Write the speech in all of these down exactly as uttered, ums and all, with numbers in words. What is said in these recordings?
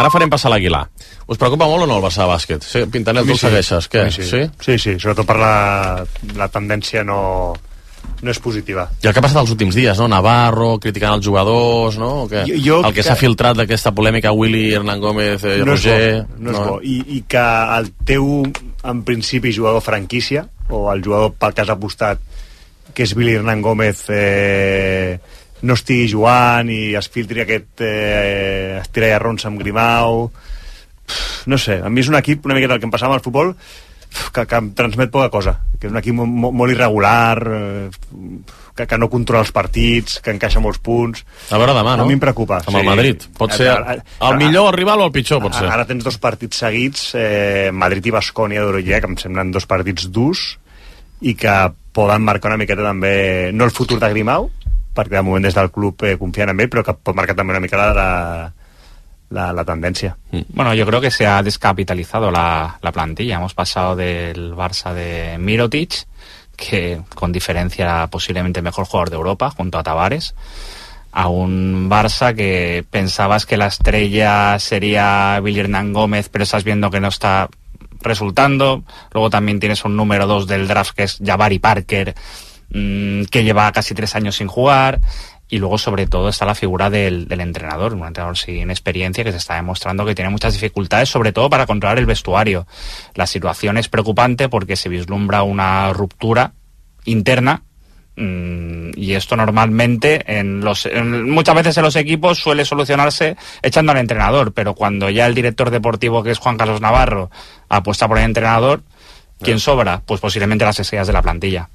ara farem passar l'Aguilar. Us preocupa molt o no el Barça de bàsquet? Sí, Pintanel, tu el segueixes, què? Sí, sí, sí, sí, sobretot per la, la tendència no, no és positiva. I el que ha passat els últims dies, no? Navarro criticant els jugadors, no? Que, jo, jo el que, que s'ha filtrat d'aquesta polèmica Willy, Hernán Gómez, eh, no Roger... És bo, no, no és bo. I, I que el teu, en principi, jugador franquícia, o el jugador pel que has apostat, que és Willy Hernán Gómez, eh, no estigui jugant i es filtri aquest eh, estira i arronsa amb Grimau. No sé, a mi és un equip una miqueta el que em passava al futbol que, que em transmet poca cosa, que és un equip molt, molt irregular, eh, que, que no controla els partits, que encaixa molts punts. A veure demà, no? A mi em preocupa. Amb sí. El Madrid. Pot ser el, el millor el rival o el pitjor, pot ser. Ara tens dos partits seguits, eh, Madrid i Baskonia d'Eurolliga, que em semblen dos partits durs i que poden marcar una miqueta també, no el futur de Grimau, perquè de moment des del club eh, confien en ell, però que pot marcar també una mica la, la, la tendencia. Bueno, yo creo que se ha descapitalizado la, la plantilla. Hemos pasado del Barça de Mirotic, que con diferencia era posiblemente el mejor jugador de Europa, junto a Tavares, a un Barça que pensabas que la estrella sería Willy Hernán Gómez, pero estás viendo que no está resultando. Luego también tienes un número dos del draft que es Jabari Parker, que lleva casi tres años sin jugar, y luego sobre todo está la figura del, del entrenador, un entrenador sin experiencia que se está demostrando que tiene muchas dificultades, sobre todo para controlar el vestuario. La situación es preocupante porque se vislumbra una ruptura interna, mmm, y esto normalmente en los, en, muchas veces en los equipos suele solucionarse echando al entrenador, pero cuando ya el director deportivo, que es Juan Carlos Navarro, apuesta por el entrenador, ¿quién sobra? Pues posiblemente las estrellas de la plantilla.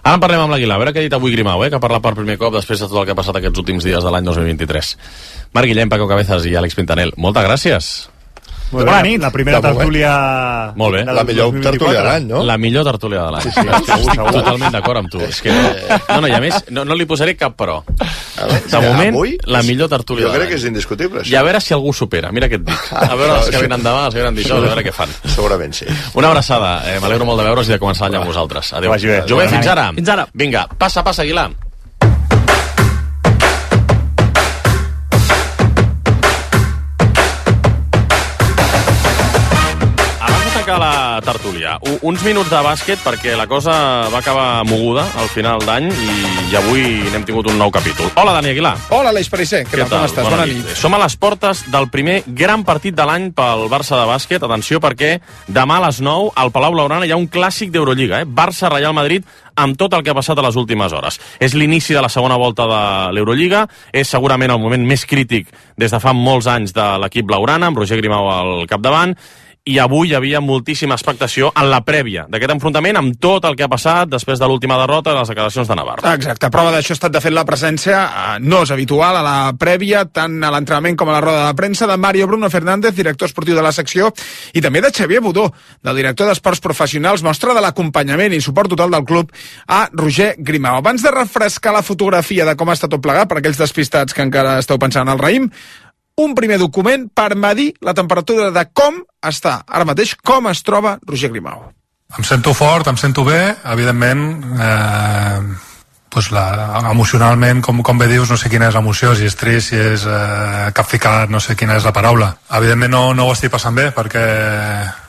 Ara en parlem amb l'Aguilar, a veure què ha dit avui Grimau, eh? Que ha parlat per primer cop després de tot el que ha passat aquests últims dies de l'any dos mil vint-i-tres. Marc Guillem, Paco Cabezas i Àlex Pintanel, moltes gràcies. Molt bé, bona nit. La primera tertúlia... Molt bé. La millor tertúlia de l'any, no? La millor tertúlia de l'any. Sí, sí, estic segur, totalment d'acord amb tu. És que... No, no, i a més, no, no li posaré cap però. De moment, la millor tertúlia de l'any. Jo crec que és indiscutible, això. I a veure si algú supera. Mira què et dic. A veure els que venen demà, els que venen dijous, a veure què fan. Segurament sí. Una abraçada. Eh, M'alegro molt de veure's i de començar l'any amb vosaltres. Adéu. Jové, fins ara. Fins ara. Vinga, passa, passa, Aguilar. La tertúlia. Uns minuts de bàsquet perquè la cosa va acabar moguda al final d'any i, i avui n'hem tingut un nou capítol. Hola, Dani Aguilar. Hola, Aleix Perisser. Què, Què tal? Com estàs? Bona, Bona nit. nit. Som a les portes del primer gran partit de l'any pel Barça de bàsquet. Atenció, perquè demà a les nou al Palau Blaugrana hi ha un clàssic d'Eurolliga, eh? Barça-Reial Madrid, amb tot el que ha passat a les últimes hores. És l'inici de la segona volta de l'Eurolliga, és segurament el moment més crític des de fa molts anys de l'equip blaugrana, amb Roger Grimau al capdavant, i avui hi havia moltíssima expectació en la prèvia d'aquest enfrontament amb tot el que ha passat després de l'última derrota i les declaracions de Navarro. Exacte, prova d'això ha estat de fet la presència, eh, no és habitual a la prèvia, tant a l'entrenament com a la roda de premsa, de Mario Bruno Fernández, director esportiu de la secció, i també de Xavier Budó, del director d'Esports Professionals, mostra de l'acompanyament i suport total del club a Roger Grimau. Abans de refrescar la fotografia de com està tot plegat, per aquells despistats que encara esteu pensant al raïm, un primer document per medir la temperatura de com està ara mateix, com es troba Roger Grimau. Em sento fort, em sento bé, evidentment, eh, pues la, emocionalment, com, com bé dius, no sé quina és l'emoció, si és trist, si és eh, capficat, no sé quina és la paraula. Evidentment no, no ho estic passant bé, perquè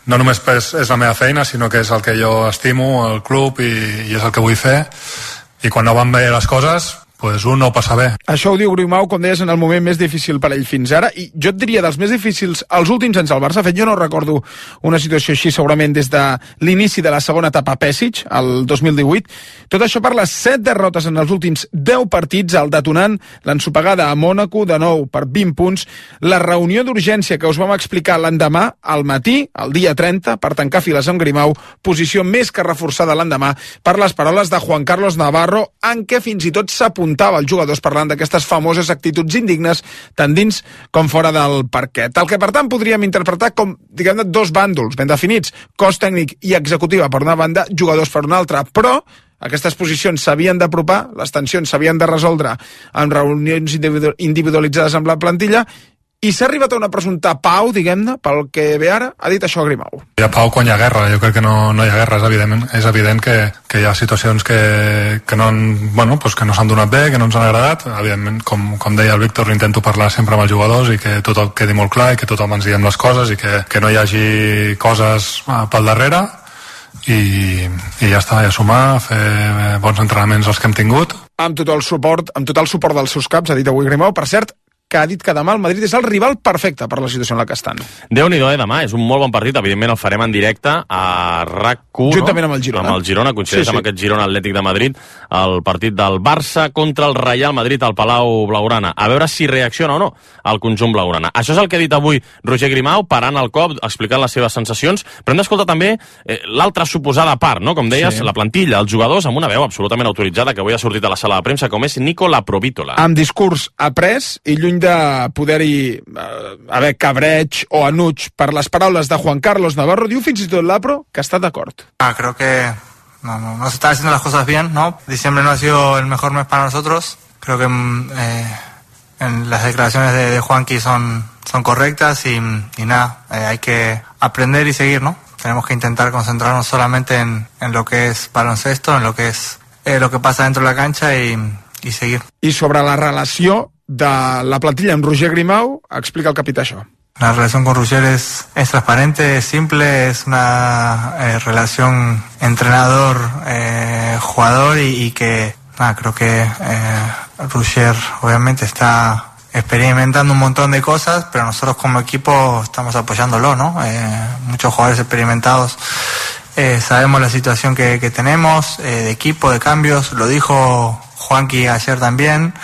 no només és, és la meva feina, sinó que és el que jo estimo, el club, i, i és el que vull fer. I quan no van bé les coses, pues un no ho passa bé. Això ho diu Grimau, com deies, en el moment més difícil per ell fins ara, i jo et diria dels més difícils els últims anys al Barça. De fet, jo no recordo una situació així segurament des de l'inici de la segona etapa Pesic, el dos mil divuit. Tot això per les set derrotes en els últims deu partits, el detonant, l'ensopegada a Mònaco, de nou per vint punts, la reunió d'urgència que us vam explicar l'endemà, al matí, el dia trenta, per tancar files amb Grimau, posició més que reforçada l'endemà per les paraules de Juan Carlos Navarro, en què fins i tot s'apuntava els jugadors parlant d'aquestes famoses actituds indignes tant dins com fora del parquet. El que, per tant, podríem interpretar com, diguem-ne, dos bàndols ben definits, cos tècnic i executiva per una banda, jugadors per una altra, però aquestes posicions s'havien d'apropar, les tensions s'havien de resoldre amb reunions individualitzades amb la plantilla i s'ha arribat a una presumpta pau, diguem-ne, pel que ve ara, ha dit això Grimau. Hi ha pau quan hi ha guerra, jo crec que no, no hi ha guerra, és evident, és evident que, que hi ha situacions que, que no, bueno, pues que no s'han donat bé, que no ens han agradat, evidentment, com, com deia el Víctor, intento parlar sempre amb els jugadors i que tot quedi molt clar i que tothom ens diguem les coses i que, que no hi hagi coses pel darrere i, i ja està, i a sumar, fer bons entrenaments els que hem tingut. Amb tot el suport, amb tot el suport dels seus caps, ha dit avui Grimau, per cert, que ha dit que demà el Madrid és el rival perfecte per la situació en la que estan. Déu-n'hi-do, eh, demà. És un molt bon partit. Evidentment el farem en directe a R A C u, juntament no? amb el Girona. Amb el Girona, coincideix sí, sí. amb aquest Girona Atlètic de Madrid, el partit del Barça contra el Real Madrid al Palau Blaugrana. A veure si reacciona o no el conjunt blaugrana. Això és el que ha dit avui Roger Grimau, parant el cop, explicant les seves sensacions, però hem d'escoltar també eh, l'altra suposada part, no? Com deies, sí. la plantilla, els jugadors, amb una veu absolutament autoritzada que avui ha sortit a la sala de premsa, com és Nicola Provítola. Amb discurs après i lluny de poder-hi eh, haver cabreig o enuig per les paraules de Juan Carlos Navarro, diu fins i tot l'Apro que està d'acord. Ah, creo que no, no, no se están haciendo las cosas bien, ¿no? Diciembre no ha sido el mejor mes para nosotros. Creo que eh, en las declaraciones de, de Juanqui son, son correctas y, y nada, eh, hay que aprender y seguir, ¿no? Tenemos que intentar concentrarnos solamente en, en lo que es baloncesto, en lo que es eh, lo que pasa dentro de la cancha y, y seguir. I sobre la relació de la plantilla amb Roger Grimau, explica el capità això. La relación con Roger es, es transparente, es simple, es una eh, relación entrenador-jugador eh, y, y que nada, creo que eh, Roger obviamente está experimentando un montón de cosas, pero nosotros como equipo estamos apoyándolo, ¿no? Eh, muchos jugadores experimentados eh, sabemos la situación que, que tenemos, eh, de equipo, de cambios, lo dijo Juanqui ayer también.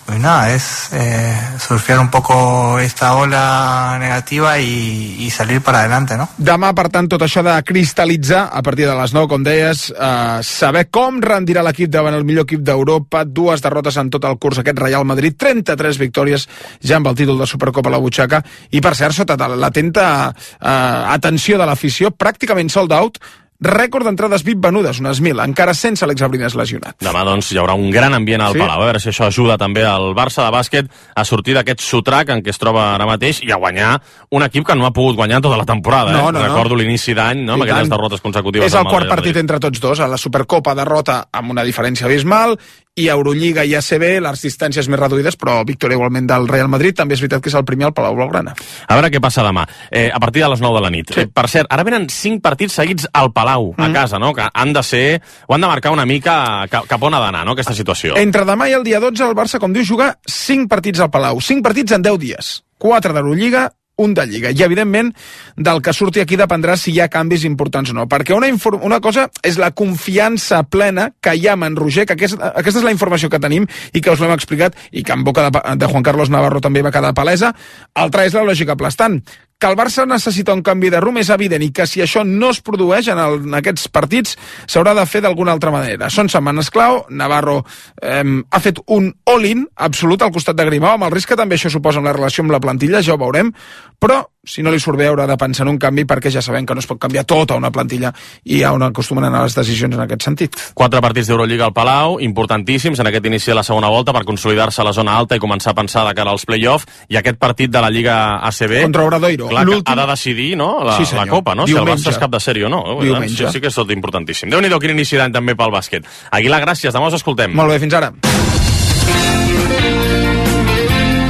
Pues nada, es eh, surfear un poco esta ola negativa i, i salir para adelante, no? Demà, per tant, tot això de cristal·litzar a partir de les nou, com deies, eh, saber com rendirà l'equip davant el millor equip d'Europa, dues derrotes en tot el curs aquest Real Madrid, trenta-tres victòries ja amb el títol de Supercopa a la butxaca, i per cert, sota l'atenta eh, atenció de l'afició, pràcticament sold out, rècord d'entrades V I P venudes, unes mil, encara sense Àlex Abrines lesionat. Demà, doncs, hi haurà un gran ambient al sí. Palau. A veure si això ajuda també al Barça de bàsquet a sortir d'aquest sotrac en què es troba ara mateix i a guanyar un equip que no ha pogut guanyar tota la temporada. No, eh? no, Recordo no. l'inici d'any, no? amb aquelles derrotes consecutives. És el quart partit entre tots dos. A la Supercopa derrota amb una diferència abismal, i Eurolliga i A C B, les distàncies més reduïdes, però victòria igualment del Real Madrid. També és veritat que és el primer al Palau Blaugrana. A veure què passa demà, eh, a partir de les nou de la nit. Sí. Eh, per cert, ara venen cinc partits seguits al Palau, mm. a casa, no? Que han de ser, o han de marcar una mica cap, cap on ha d'anar, no?, aquesta situació. Entre demà i el dia dotze, el Barça, com diu, juga cinc partits al Palau. cinc partits en deu dies. quatre d'Eurolliga, un de Lliga. I, evidentment, del que surti aquí dependrà si hi ha canvis importants o no. Perquè una, una cosa és la confiança plena que hi ha en Roger, que aquesta, aquesta és la informació que tenim i que us l'hem explicat i que en boca de, de Juan Carlos Navarro també va quedar palesa. Altra és la lògica aplastant. Que el Barça necessita un canvi de rumb és evident i que si això no es produeix en, el, en aquests partits s'haurà de fer d'alguna altra manera. Són setmanes clau, Navarro eh, ha fet un all-in absolut al costat de Grimau, amb el risc que també això suposa en la relació amb la plantilla, ja ho veurem, però si no li surt bé haurà de pensar en un canvi perquè ja sabem que no es pot canviar tota una plantilla i on acostumen a anar les decisions en aquest sentit. Quatre partits d'Eurolliga al Palau, importantíssims en aquest inici de la segona volta per consolidar-se a la zona alta i començar a pensar de cara als play-off, i aquest partit de la Lliga A C B contra Obradoiro. Clar, que ha de decidir, no?, la, sí, la Copa, no? Diumenge. Si el Barça és cap de sèrie o no. Diumenge. Sí, sí que és tot importantíssim. Déu-n'hi-do, quin inici d'any també pel bàsquet. Aguilar, gràcies, demà us escoltem. Molt bé, fins ara.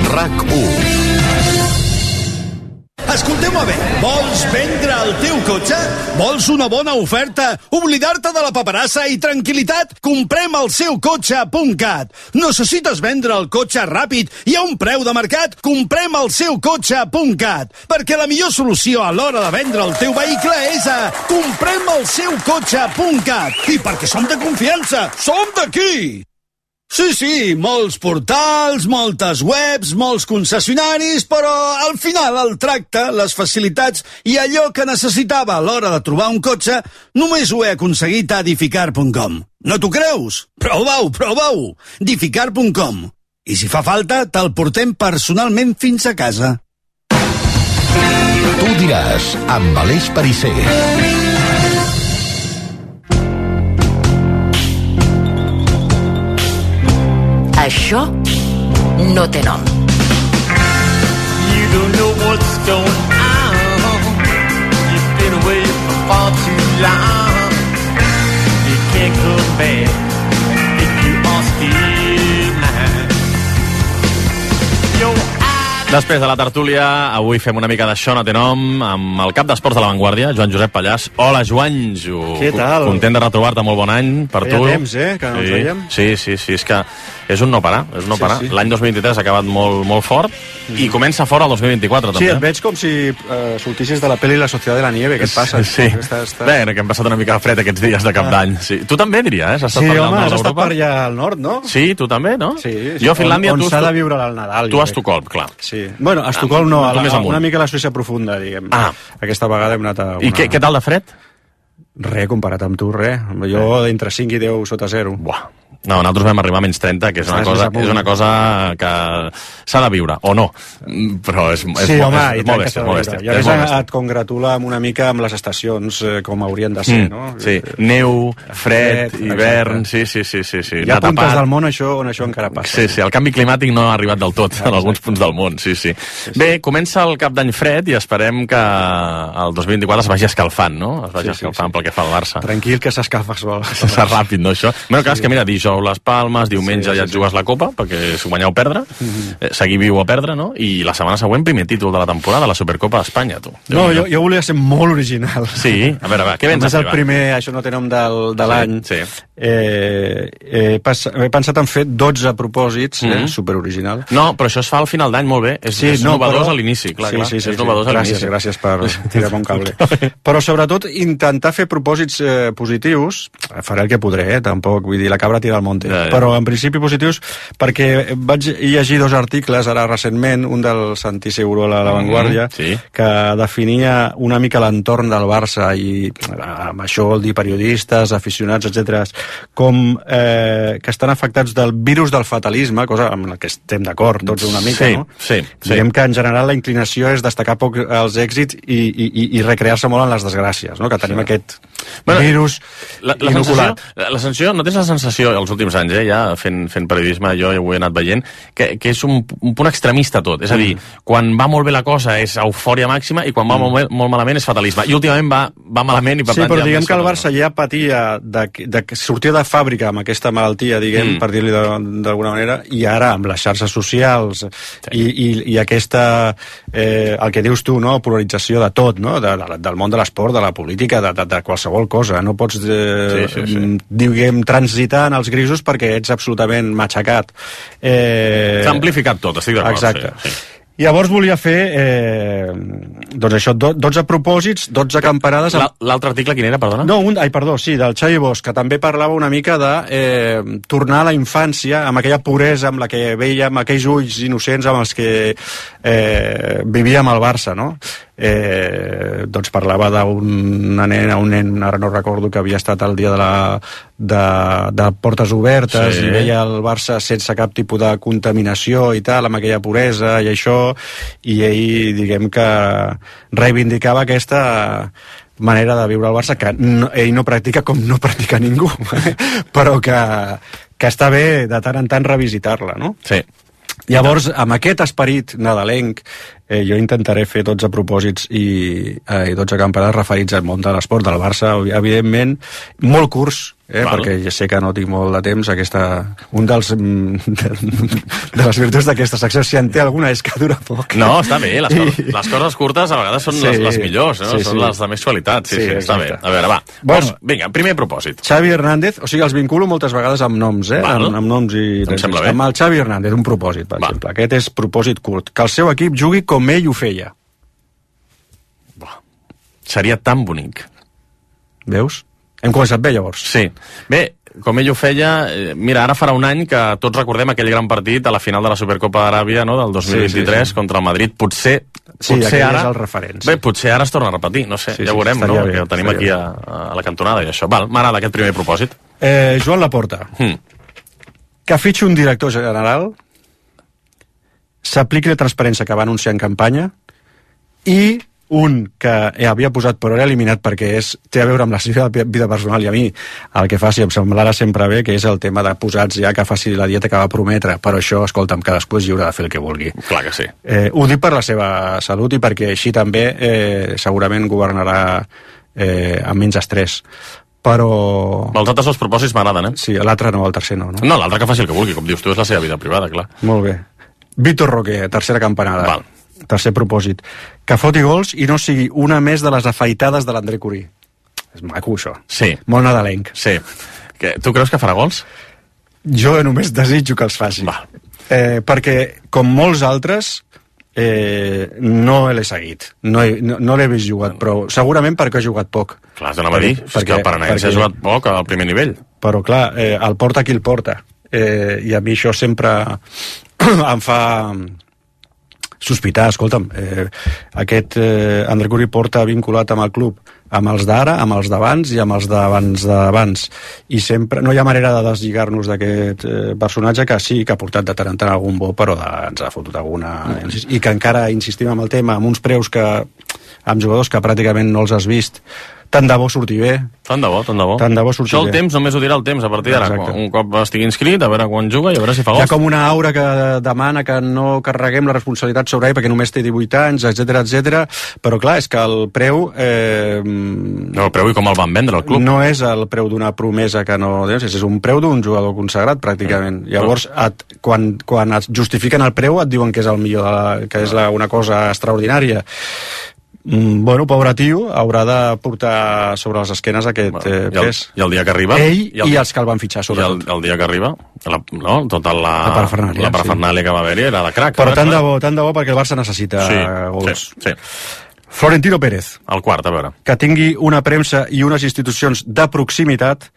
R A C u. Escolteu-me bé, vols vendre el teu cotxe? Vols una bona oferta? Oblidar-te de la paperassa i tranquil·litat? Comprem el seu cotxe punt cat. Necessites vendre el cotxe ràpid i a un preu de mercat? Comprem el seu cotxe punt cat. Perquè la millor solució a l'hora de vendre el teu vehicle és a comprem el seu cotxe punt cat. I perquè som de confiança, som d'aquí! Sí, sí, molts portals, moltes webs, molts concessionaris, però al final el tracte, les facilitats i allò que necessitava a l'hora de trobar un cotxe només ho he aconseguit a Dificar punt com. No t'ho creus? Prova-ho, prova-ho! Dificar punt com. I si fa falta, te'l portem personalment fins a casa. Tu diràs, amb Aleix Perisser. Això no té nom. don't know what's going on. You've been away for far too long. You can't come back if you are still mine. Your Després de la tertúlia, avui fem una mica de Això no té nom amb el cap d'esports de La Vanguardia, Joan Josep Pallàs. Hola, Joanjo. Què tal? Content de retrobar-te, molt bon any per Feia tu. temps, eh, que no ens sí. veiem. Sí, sí, sí, és que és un no parar, és un no Sí, parar. sí. L'any dos mil vint-i-tres ha acabat molt, molt fort i comença fort el dos mil vint-i-quatre, Sí, també. et veig com si uh, sortissis de la pel·li La Sociedad de la Nieve. Què et passa? Sí. Està, està... Bé, que hem passat una mica de fred aquests dies de cap d'any. Sí. Tu també, diria, eh? Has estat Sí, per allà home, al nord has estat d'Europa? per allà al nord, no? Sí, tu també, no? Sí, sí. Jo a Finlàndia... On, on tu, s'ha de viure el Nadal. Tu jo a crec. Estocolm, clar. Sí. Bueno, a Estocolm no, Ah, a tu la, més amunt. una mica a la Suïssa profunda, diguem. Ah. Aquesta vegada hem anat a una... I què, què tal de fred? Res, comparat amb tu, res. Jo entre cinc i deu sota zero. Buah. No, nosaltres vam arribar a menys trenta, que és una, Estàs cosa, més amunt. és una cosa que s'ha de viure, o no. Mm, Però és, és, Sí, molt, home, és, i és tant molt que bèstia, s'ha és molt de bèstia. viure. I a és més molt bèstia. et congratula amb una mica amb les estacions eh, com haurien de ser, Mm, no? sí, neu, fred, Fred, hivern, exacte. sí, sí, sí, sí, sí. Hi ha anar puntes tapat. del món això, on això encara passa. Sí, sí, el canvi climàtic no ha arribat del tot en alguns punts del món, sí, sí. Bé, comença el cap d'any fred i esperem que el dos mil vint-i-quatre es vagi escalfant, no? Es vagi Sí, sí, escalfant sí. pel que fa al Barça. Tranquil, que s'escalfa sol. Serà ràpid, no, això? Bueno, clar, és que mira, dijous les Palmes, diumenge Sí, ja sí, et jugues la Copa, perquè és guanyar o perdre, eh, seguir viu o perdre, no? I la setmana següent, primer títol de la temporada, la Supercopa d'Espanya, tu. No, jo, jo volia ser molt original. Sí, a veure, va, què vens Com a és fer, el va? primer, això no té nom del, de l'any. Sí, Eh, he, pas, he pensat en fer dotze propòsits, eh, Mhm. superoriginal. No, però això es fa al final d'any molt bé. És, Sí, és no, novedós però- a l'inici, clar, sí, clar. sí, sí, és sí. novedós a Gràcies, l'inici. gràcies per tirar-me un cable. Però sobretot intentar fer propòsits eh, positius, faré el que podré, eh, tampoc, vull dir, la cabra tira al monte, Ja, ja. però en principi positius, perquè vaig llegir dos articles ara recentment, un del Santi Segurola a La Vanguardia, Mhm, sí. que definia una mica l'entorn del Barça i amb això vol dir periodistes, aficionats, etcètera, com eh, que estan afectats del virus del fatalisme, cosa amb la que estem d'acord tots una mica, Sí, no? sí, sí. Diguem que en general la inclinació és destacar poc els èxits i, i, i- i recrear-se molt en les desgràcies, no? Que tenim Sí. aquest Bueno, virus La, la, sensació, inoculat. la, la sensació, no tens la sensació, els últims anys, eh, ja fent, fent periodisme, jo ja ho he anat veient, que, que és un, un punt extremista tot. És a dir, quan va molt bé la cosa és eufòria màxima i quan va molt, bé- molt malament és fatalisme. I últimament va, va malament i per Sí, tant... però ja diguem més que el fatalisme. Barça ja patia de, de, de sortir de fàbrica amb aquesta malaltia, diguem, Mm. per dir-li de- d'alguna manera, i ara amb les xarxes socials sí. i, i, i aquesta, eh, el que dius tu, no? Polarització de tot, no? De, de, del món de l'esport, de la política, de, de, de qualsevol cosa. No pots, eh, Sí, sí, sí. diguem, transitar en els grisos perquè ets absolutament matxacat. Eh, S'ha amplificat tot, estic d'acord. Exacte. Sí, sí. Llavors volia fer, eh, doncs això, do, dotze propòsits, dotze campanades... Amb... La- L'altre article quin era, perdona? No, un, ai, perdó, sí, del Xavi Bosch, que també parlava una mica de eh, tornar a la infància, amb aquella puresa amb la que veiem, aquells ulls innocents amb els que eh, vivíem al Barça, no? Eh, doncs parlava d'una nena, un nen, ara no recordo, que havia estat el dia de la de, de portes obertes Sí. i veia el Barça sense cap tipus de contaminació i tal, amb aquella puresa i això, i ell, diguem que reivindicava aquesta manera de viure al Barça que no, ell no practica com no practica ningú però que, que està bé de tant en tant revisitar-la, no? Sí. Llavors, amb aquest esperit nadalenc, eh, jo intentaré fer dotze propòsits i, eh, i dotze campanades referits al món de l'esport del Barça, evidentment, molt curts, eh, Val. perquè ja sé que no tinc molt de temps. Aquesta, un dels mm, de, de les virtuts d'aquesta secció, si en té alguna, és que dura poc. No, està bé, les, I- coses, les coses curtes a vegades són Sí, les, les millors, no? sí, Són sí. les de més qualitat, sí, Sí, sí, està bé. exacte. A veure, va, Bueno. Vols, vinga, primer propòsit. Xavi Hernández, o sigui, els vinculo moltes vegades amb noms, eh? Val. Amb, amb noms i... Em sembla bé. Amb el Xavi Hernández, un propòsit, per Va. exemple. Aquest és propòsit curt. Que el seu equip jugui com ell ho feia. Seria tan bonic. Veus? Hem començat bé, llavors. Sí. Bé, com ell ho feia, eh, mira, ara farà un any que tots recordem aquell gran partit a la final de la Supercopa d'Aràbia, no?, del dos mil vint-i-tres, Sí, sí, sí. contra el Madrid. Potser, Sí, potser aquell ara... és el referent, sí. Bé, potser ara es torna a repetir, no sé, Sí, ja sí, veurem, no?, estaria bé, que el tenim aquí estaria a, a la cantonada i això. Val, m'agrada aquest primer propòsit. Eh, Joan Laporta, Hmm. que fitxi un director general, s'apliqui la transparència que va anunciar en campanya i un que havia posat però era eliminat perquè és, té a veure amb la seva vida personal, i a mi el que faci em semblarà sempre bé, que és el tema de posats ja que faci la dieta que va prometre, però això, escolta'm, cadascú és lliure de fer el que vulgui. Clar que sí. Eh, ho dic per la seva salut i perquè així també eh, segurament governarà eh, amb menys estrès. Però... Els altres dos propòsits m'agraden, eh? Sí, l'altre no, el tercer no, no? No, l'altre que faci el que vulgui, com dius tu, és la seva vida privada, clar. Molt bé. Víctor Roque, tercera campanada. Val. Tercer propòsit. Que foti gols i no sigui una més de les afaitades de l'André Curí. És maco, això. Sí. Molt nadalenc. Sí. Que, tu creus que farà gols? Jo només desitjo que els faci. Val. Eh, perquè, com molts altres, eh, no l'he seguit. No, he, no, no l'he vist jugat, però segurament perquè ha jugat poc. Clar, has d'anar a dir. És que el Paranaense ha jugat poc al primer nivell. Però, clar, eh, el porta qui el porta. Eh, I a mi això sempre em fa... sospitar, escolta'm, eh, aquest eh, André Curí porta vinculat amb el club, amb els d'ara, amb els d'abans i amb els d'abans d'abans, i sempre no hi ha manera de deslligar-nos d'aquest eh, personatge, que sí que ha portat de tant en tant algun bo, però de, ens ha fotut alguna... Mm. I que encara insistim amb el tema, amb uns preus que amb jugadors que pràcticament no els has vist. Tant de bo surti bé. Tant de bo, tant de bo. Tant de bo surti Això el bé. temps només ho dirà el temps a partir d'ara. Un cop estigui inscrit, a veure quan juga i a veure si fa gols. Hi ha com una aura que demana que no carreguem la responsabilitat sobre ell perquè només té divuit anys, etcètera, etcètera. Però clar, és que el preu... Eh, no, el preu i com el van vendre el club. No és el preu d'una promesa que no... És un preu d'un jugador consagrat, pràcticament. Mm. Llavors, et, quan, quan et justifiquen el preu, et diuen que és el millor, de la, que és la, una cosa extraordinària. Mm, bueno, pobre tio, haurà de portar sobre les esquenes aquest bueno, eh, pes. I el dia que arriba... Ell i, el, i els que el van fitxar, sobretot. I el, el dia que arriba, la, no, tota la, la parafernàlia, la parafernàlia sí. que va haver-hi era de crac. Però tant de bo, tant de bo perquè el Barça necessita sí, gols. Sí, sí. Florentino Pérez. El quart, a veure. Que tingui una premsa i unes institucions de proximitat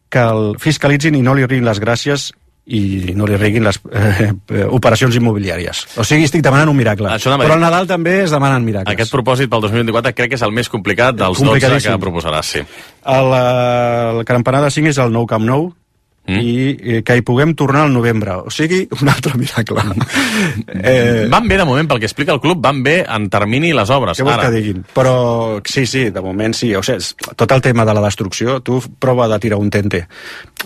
que el fiscalitzin i no li riguin les gràcies i no li riguin les eh, operacions immobiliàries. O sigui, estic demanant un miracle. Però al Nadal també es demanen miracles. Aquest propòsit pel dos mil vint-i-quatre crec que és el més complicat dels dotze que proposaràs, sí. El, el campanar de cinc és el Nou Camp Nou, mm. i eh, que hi puguem tornar al novembre. O sigui, un altre miracle. eh... Van bé, de moment, pel que explica el club, van bé en termini les obres. Què vols que diguin? Però sí, sí, de moment sí. O sigui, tot el tema de la destrucció, tu prova de tirar un tente.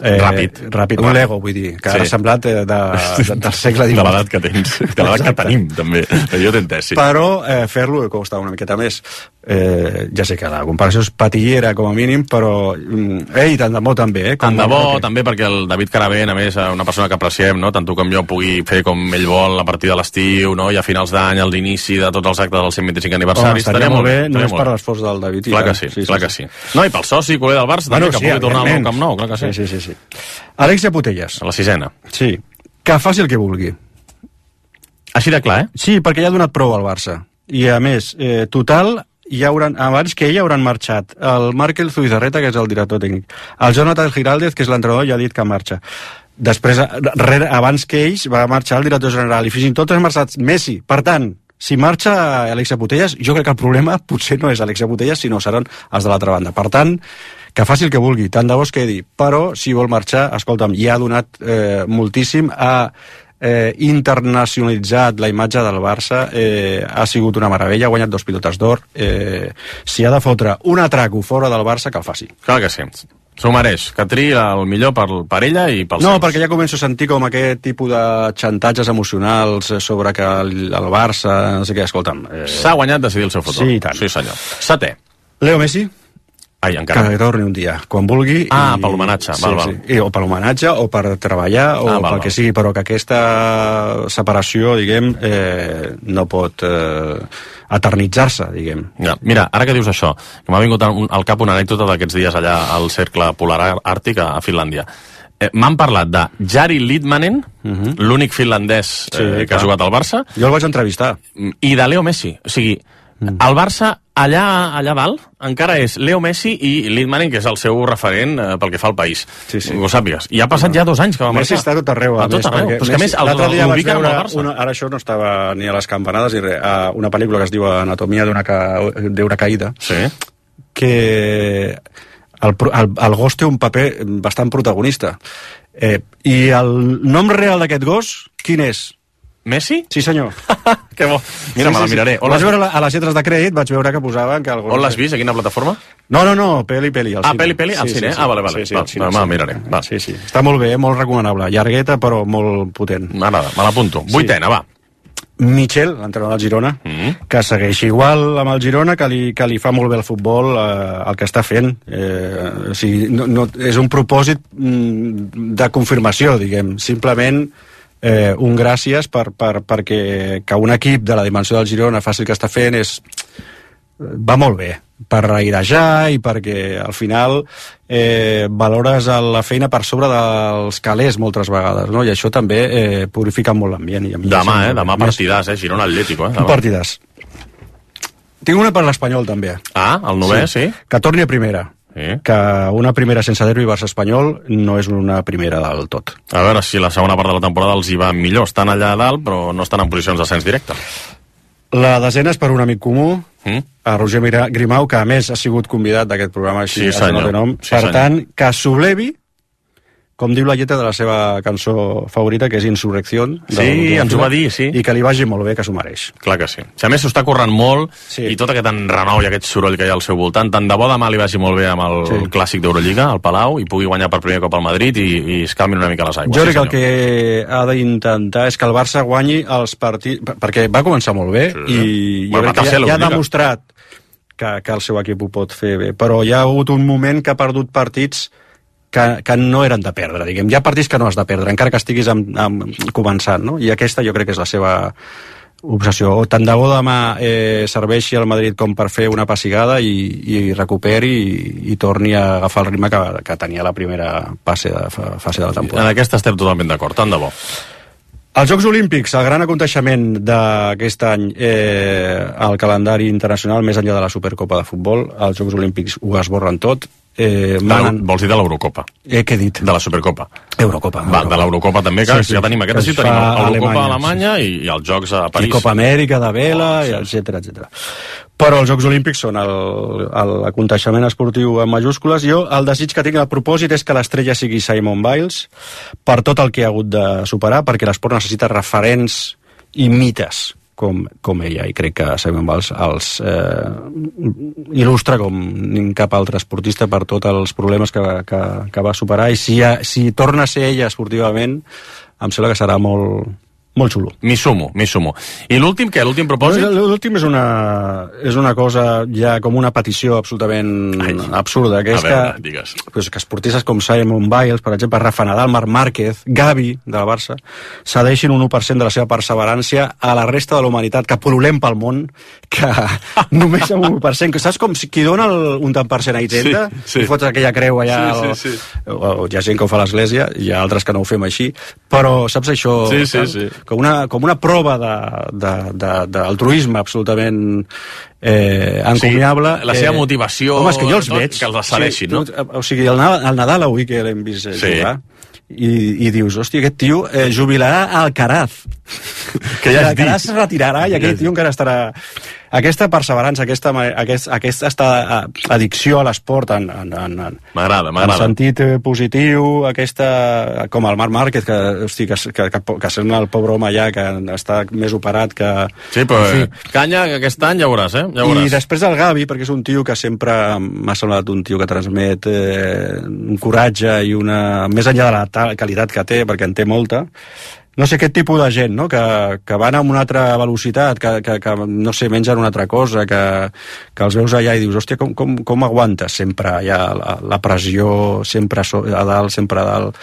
Eh, ràpid. Ràpid, un Lego, vull dir, que sí. Ara ha semblat de, de, de, del segle divuit. De l'edat que tens, de l'edat que tenim, també. Jo t'he entès, sí. Però eh, fer-lo costa una miqueta més. Eh, ja sé que la comparació és patillera, com a mínim, però... Ei, tant de bo també, eh? Tant de bo, també, perquè el David Caravent, a més, una persona que apreciem, no? Tant tu com jo pugui fer com ell vol a partir de l'estiu, no? I a finals d'any, a l'inici de tots els actes del cent vint-i-cinc aniversari. Oh, estaria molt bé, només per l'esforç del David. Clar que sí, sí, clar sí, que sí. No, i pel soci, culer del Barça, també, bueno, que sí, pugui tornar al Nou Camp Nou, clar que sí. Sí, sí, sí. Alexia Putellas. A la sisena. Sí. Que faci el que vulgui. Així de clar, eh? Sí, perquè ja ha donat prou al Barça. I, a més, eh, total... Ja hauran, abans que ell hauran marxat el Markel Zubizarreta, que és el director tècnic, el Jonathan Giraldez, que és l'entrenador, ja ha dit que marxa. Després, re, abans que ells, va marxar el director general, i fins i tot ha marxat Messi. Per tant, si marxa Alexia Putellas, jo crec que el problema potser no és Alexia Putellas, sinó seran els de l'altra banda. Per tant, que faci el que vulgui, tant de bo es quedi. Però, si vol marxar, escolta'm, ja ha donat eh, moltíssim a... Eh, internacionalitzat la imatge del Barça, eh, ha sigut una meravella, ha guanyat dos pilotes d'or, eh, si ha de fotre un atraco fora del Barça, que el faci. Clar que sí, s'ho mereix, que triï el millor per, per ella i pels no, seus. Perquè ja començo a sentir com aquest tipus de xantatges emocionals sobre que el, el Barça, no sé què, escolta'm... Eh... S'ha guanyat decidir el seu futur. Sí, tant. Sí, senyor. Setè. Leo Messi. Ai, encara. Que torni un dia, quan vulgui. Ah, i... per l'homenatge, sí, val, val. Sí. I, o per l'homenatge, o per treballar, o ah, val, pel que val. sigui, però que aquesta separació, diguem, eh, no pot eh, eternitzar-se, diguem. Ja, mira, ara que dius això, que m'ha vingut al cap una anècdota d'aquests dies allà al cercle polar àrtic a Finlàndia. Eh, M'han parlat de Jari Litmanen, uh -huh. l'únic finlandès eh, sí, que clar. ha jugat al Barça. Jo el vaig entrevistar. I de Leo Messi. O sigui, mm. el Barça allà allà dalt encara és Leo Messi i Litmanen, que és el seu referent eh, pel que fa al país. Sí, sí. Ho sàpigues. I ha passat no. ja dos anys que va Messi marxar. Messi està tot arreu. A, a tot arreu. Però és que a més l'altre dia vaig veure Barça. Una, ara això no estava ni a les campanades ni res, una pel·lícula que es diu Anatomia d'una ca, d'una caïda. Sí. Que el, el, el gos té un paper bastant protagonista. Eh, I el nom real d'aquest gos, quin és? Messi? Sí, senyor. Que bo. Mira, sí, me la sí, miraré. Sí. Vaig veure la, a les lletres de crèdit, vaig veure que posaven que... On l'has vist? A quina plataforma? No, no, no, Peli Peli, al ah, cine. Peli Peli, al sí, cine? Sí, sí. Ah, vale, vale. Sí, sí, va, cine, va, sí. miraré. Va. Sí, sí. Està molt bé, molt recomanable. Llargueta, però molt potent. M'agrada, me l'apunto. Vuitena, va. Michel, l'entrenador del Girona, mm -hmm. que segueix igual amb el Girona, que li, que li fa molt bé el futbol, eh, el que està fent. Eh, o sigui, no, no, és un propòsit mm, de confirmació, diguem. Simplement eh, un gràcies per, per, perquè que un equip de la dimensió del Girona faci el que està fent és, va molt bé, per airejar i perquè al final eh, valores la feina per sobre dels calés moltes vegades, no? I això també eh, purifica molt l'ambient. Demà, eh? Demà partidàs, eh? Girona Atlético, eh? Un partidàs. Tinc una per l'Espanyol, també. Ah, el novè, sí? sí? Que torni a primera. Sí. Que una primera sense derbi Barça-Espanyol no és una primera del tot. A veure si la segona part de la temporada els hi va millor. Estan allà a dalt, però no estan en posicions d'ascens directe. La desena és per un amic comú, mm? a Roger Grimau, que a més ha sigut convidat d'aquest programa, així sí, no té nom. Sí, per senyor. tant, que sublevi, com diu la lletra de la seva cançó favorita, que és Insurrección. Sí, ens ho va dir, sí. I que li vagi molt bé, que s'ho mereix. Clar que sí. Si a més s'ho està corrent molt, sí. i tot aquest enrenou i aquest soroll que hi ha al seu voltant, tant de bo demà li vagi molt bé amb el sí. clàssic d'Eurolliga, al Palau, i pugui guanyar per primer cop al Madrid i, i es calmin una mica les aigües. Jo crec sí, que el que ha d'intentar és que el Barça guanyi els partits... Perquè va començar molt bé, sí. i jo bueno, crec que ja, ja ha demostrat que, que el seu equip ho pot fer bé, però hi ha hagut un moment que ha perdut partits que, que no eren de perdre, diguem. Hi ha partits que no has de perdre, encara que estiguis amb, amb, començant, no? I aquesta jo crec que és la seva obsessió. O tant de bo demà eh, serveixi al Madrid com per fer una pessigada i, i recuperi i, i torni a agafar el ritme que, que tenia la primera fase de, fase de la temporada. En aquesta estem totalment d'acord, tant de bo. Els Jocs Olímpics, el gran aconteixement d'aquest any eh, al calendari internacional, més enllà de la Supercopa de Futbol, els Jocs Olímpics ho esborren tot. Eh, manen... Vols dir de l'Eurocopa? Eh, què he dit? De la Supercopa. Eurocopa. Va, de l'Eurocopa també, que sí, sí. ja tenim aquesta, sí, tenim l'Eurocopa a Alemanya sí. i, i els Jocs a París. I Copa Amèrica de vela, oh, sí. etcètera, etcètera. Però els Jocs Olímpics són l'aconteixement esportiu en majúscules. Jo el desig que tinc, el propòsit és que l'estrella sigui Simone Biles per tot el que ha hagut de superar, perquè l'esport necessita referents i mites com, com ella, i crec que Simone Biles els eh, il·lustra com cap altre esportista per tots els problemes que, que, que va superar, i si, si torna a ser ella esportivament em sembla que serà molt, molt xulo. M'hi sumo, m'hi sumo. I l'últim, què? L'últim propòsit? L'últim és una, és una cosa ja com una petició absolutament Ai, absurda, que és veure, que, pues, que esportistes com Simone Biles, per exemple, Rafa Nadal, Marc Márquez, Gavi, de la Barça, cedeixin un u per cent de la seva perseverància a la resta de la humanitat, que pol·lulem pel món, que només amb un u per cent, que saps com si qui dona el, un tant per cent a Hisenda, sí, sí. i fots aquella creu allà, sí, sí, sí. O, o, hi ha gent que ho fa a l'església, hi ha altres que no ho fem així, però saps això? Sí, sí, sí. Com una, com una prova d'altruisme absolutament eh, encomiable. O sigui, la seva motivació, eh, home, és que jo els tot, veig, que els assaleixin, sí, no? O sigui, el, el Nadal avui que l'hem vist eh, sí. jugar, i, i dius, hòstia, aquest tio eh, jubilarà a Alcaraz. Que ja has Alcaraz es retirarà i aquell tio encara estarà... Aquesta perseverança, aquesta, aquest, aquesta addicció a l'esport en, en, en, m'agrada, m'agrada. En sentit positiu, aquesta, com el Marc Márquez, que, hosti, que, que, que, que sent el pobre home ja, que està més operat que... Sí, però en fi. Canya, que aquest any ja veuràs, eh? Ja veuràs. I després el Gavi, perquè és un tio que sempre m'ha semblat un tio que transmet eh, un coratge i una... més enllà de la qualitat que té, perquè en té molta, no sé, aquest tipus de gent, no?, que, que van amb una altra velocitat, que, que, que no sé, mengen una altra cosa, que, que els veus allà i dius, hòstia, com, com, com aguantes sempre allà la, la pressió, sempre a dalt, sempre a dalt...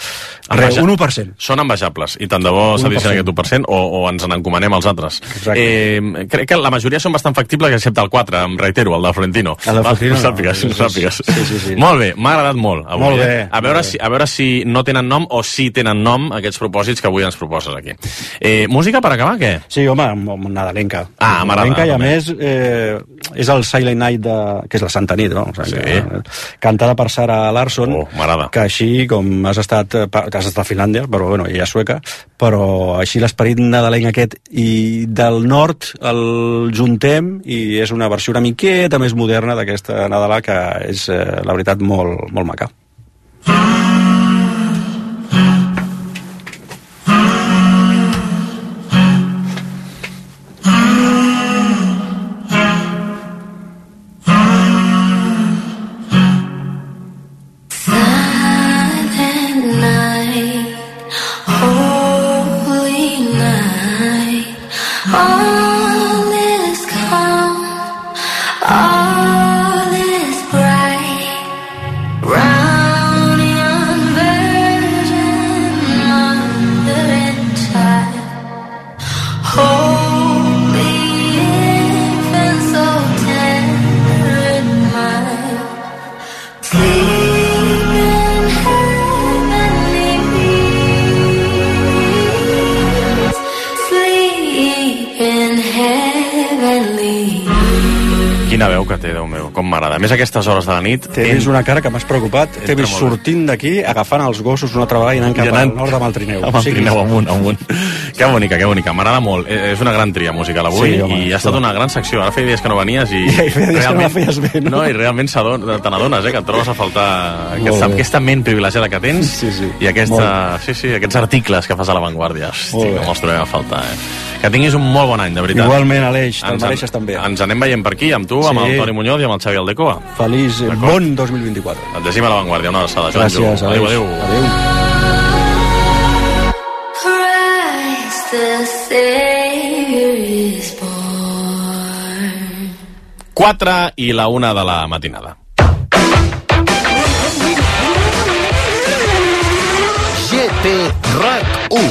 Res, un u per cent. Són envejables, i tant de bo cedissin aquest u per cent o, o ens n'encomanem als altres. Eh, crec que la majoria són bastant factibles, excepte el quatre, em reitero, el de Florentino. El de Florentino, no, sàpigues, no, sàpigues. Sí, sí, sí. Molt bé, m'ha agradat molt. Avui, molt bé. Eh? A, veure si, a veure si no tenen nom o si tenen nom aquests propòsits que avui ens proposes aquí. Eh, música per acabar, què? Sí, home, nadalenca. Ah, nadalenca, i a més eh, és el Silent Night, de, que és la Santa Nit, no? O sigui, sí. que, cantada per Sarah Larsson, oh, m'agrada. Que així, com has estat, has estat a Finlàndia, però bueno, ella és sueca, però així l'esperit nadalenc aquest i del nord el juntem i és una versió una miqueta més moderna d'aquesta Nadala que és, eh, la veritat, molt, molt maca. Quina veu que té, Déu meu, com m'agrada. A més, a aquestes hores de la nit... T'he vist una cara que m'has preocupat, t'he vist sortint d'aquí, agafant els gossos una altra vegada i anant cap al nord amb el trineu. Amb el trineu amunt, amunt. Que bonica, que bonica, m'agrada molt. És una gran tria musical avui, sí, home, i ha estat una gran secció. Ara feia dies que no venies i... Ja, i feia dies que no la feies bé, no? No, i realment te n'adones, eh, que et trobes a faltar aquesta, aquesta ment privilegiada que tens, sí, sí. i aquesta, sí, sí, aquests articles que fas a l'Avantguardia. Hosti, com els trobem a faltar, eh? Que tinguis un molt bon any, de veritat. Igualment, Aleix, te'l mereixes també. Ens anem veient per aquí, amb tu, amb sí. el Toni Muñoz i amb el Xavi Aldecoa. Feliç, bon dos mil vint-i-quatre. Et llegim a l'Avantguàrdia, una abraçada. Gràcies, Aleix. Adéu, adéu. Adéu. quatre i la una de la matinada. G T RAC u.